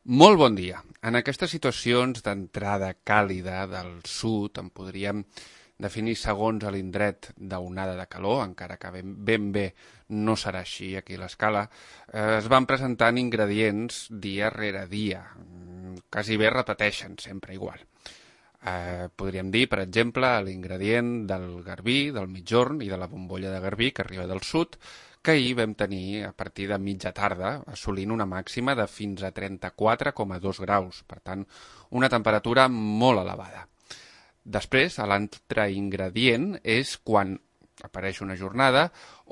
Molt bon dia. En aquestes situacions d'entrada càlida del sud en podríem definir segons l'indret d'onada de calor, encara que ben bé no serà així aquí a l'escala, es van presentant ingredients dia rere dia, quasi bé repeteixen sempre igual. Podríem dir, per exemple, l'ingredient del garbí, del migjorn i de la bombolla de garbí que arriba del sud, que ahir vam tenir a partir de mitja tarda, assolint una màxima de fins a 34,2 graus, per tant, una temperatura molt elevada. Després, l'altre ingredient és quan apareix una jornada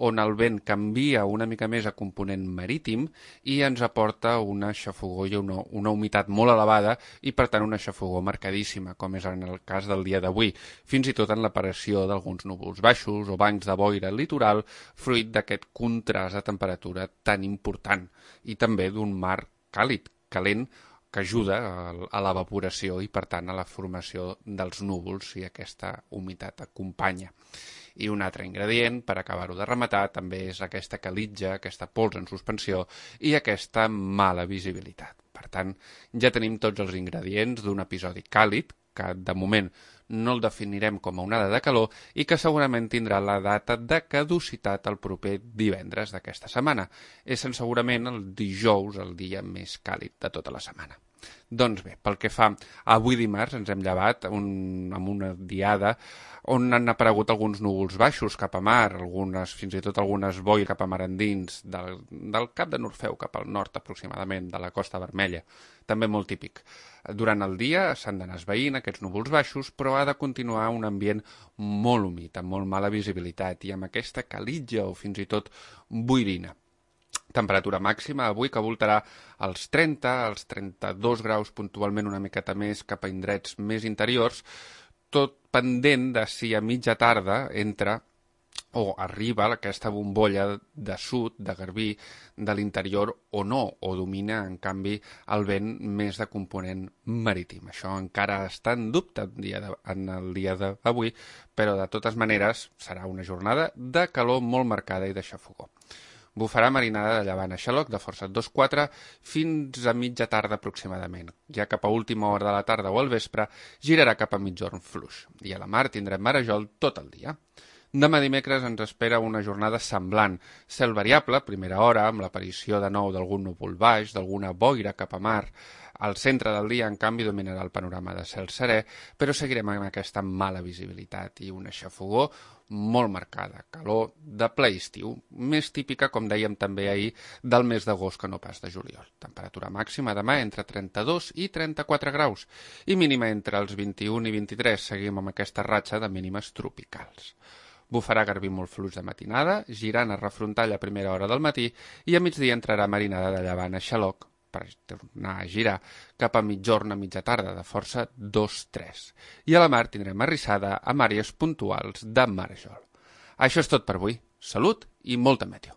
on el vent canvia una mica més a component marítim i ens aporta una xafogor i una humitat molt elevada i, per tant, una xafogor marcadíssima, com és en el cas del dia d'avui, fins i tot en l'aparició d'alguns núvols baixos o bancs de boira al litoral, fruit d'aquest contrast de temperatura tan important i també d'un mar càlid, calent, que ajuda a l'evaporació i, per tant, a la formació dels núvols si aquesta humitat acompanya. I un altre ingredient, per acabar-ho de rematar, també és aquesta calitja, aquesta pols en suspensió i aquesta mala visibilitat. Per tant, ja tenim tots els ingredients d'un episodi càlid, que de moment no el definirem com a onada de calor i que segurament tindrà la data de caducitat el proper divendres d'aquesta setmana. És segurament el dijous el dia més càlid de tota la setmana. Doncs bé, pel que fa a avui dimarts ens hem llevat amb una diada on han aparegut alguns núvols baixos cap a mar, fins i tot algunes boires cap a mar endins del Cap de Norfeu cap al nord aproximadament de la Costa Vermella, també molt típic. Durant el dia s'han d'anar esvaint aquests núvols baixos, però ha de continuar un ambient molt humit, amb molt mala visibilitat i amb aquesta calitja o fins i tot boirina. Temperatura màxima avui que voltarà als 30, als 32 graus, puntualment una miqueta més cap a indrets més interiors, tot pendent de si a mitja tarda entra o arriba aquesta bombolla de sud, de garbí, de l'interior o no, o domina, en canvi, el vent més de component marítim. Això encara està en dubte en el dia d'avui, però de totes maneres serà una jornada de calor molt marcada i de xafogor. Bufarà marinada de llevant a xaloc de força 2-4 fins a mitja tarda aproximadament. Ja cap a última hora de la tarda o al vespre girarà cap a migjorn fluix. I a la mar tindrem marejol tot el dia. Demà dimecres ens espera una jornada semblant. Cel variable, primera hora, amb l'aparició de nou d'algun núvol baix, d'alguna boira cap a mar. Al centre del dia, en canvi, dominarà el panorama de cel serè, però seguirem amb aquesta mala visibilitat i una xafogor molt marcada, calor de ple estiu, més típica, com dèiem també ahir, del mes d'agost que no pas de juliol. Temperatura màxima demà entre 32 i 34 graus i mínima entre els 21 i 23. Seguim amb aquesta ratxa de mínimes tropicals. Bufarà garbí molt fluix de matinada, girant a refrontar a primera hora del matí i a migdia entrarà marinada de llevant a xaloc per tornar a girar cap a migjorn a mitja tarda de força 2-3. I a la mar tindrem arrissada amb àrees puntuals de marejol. Això és tot per avui. Salut i molta meteo.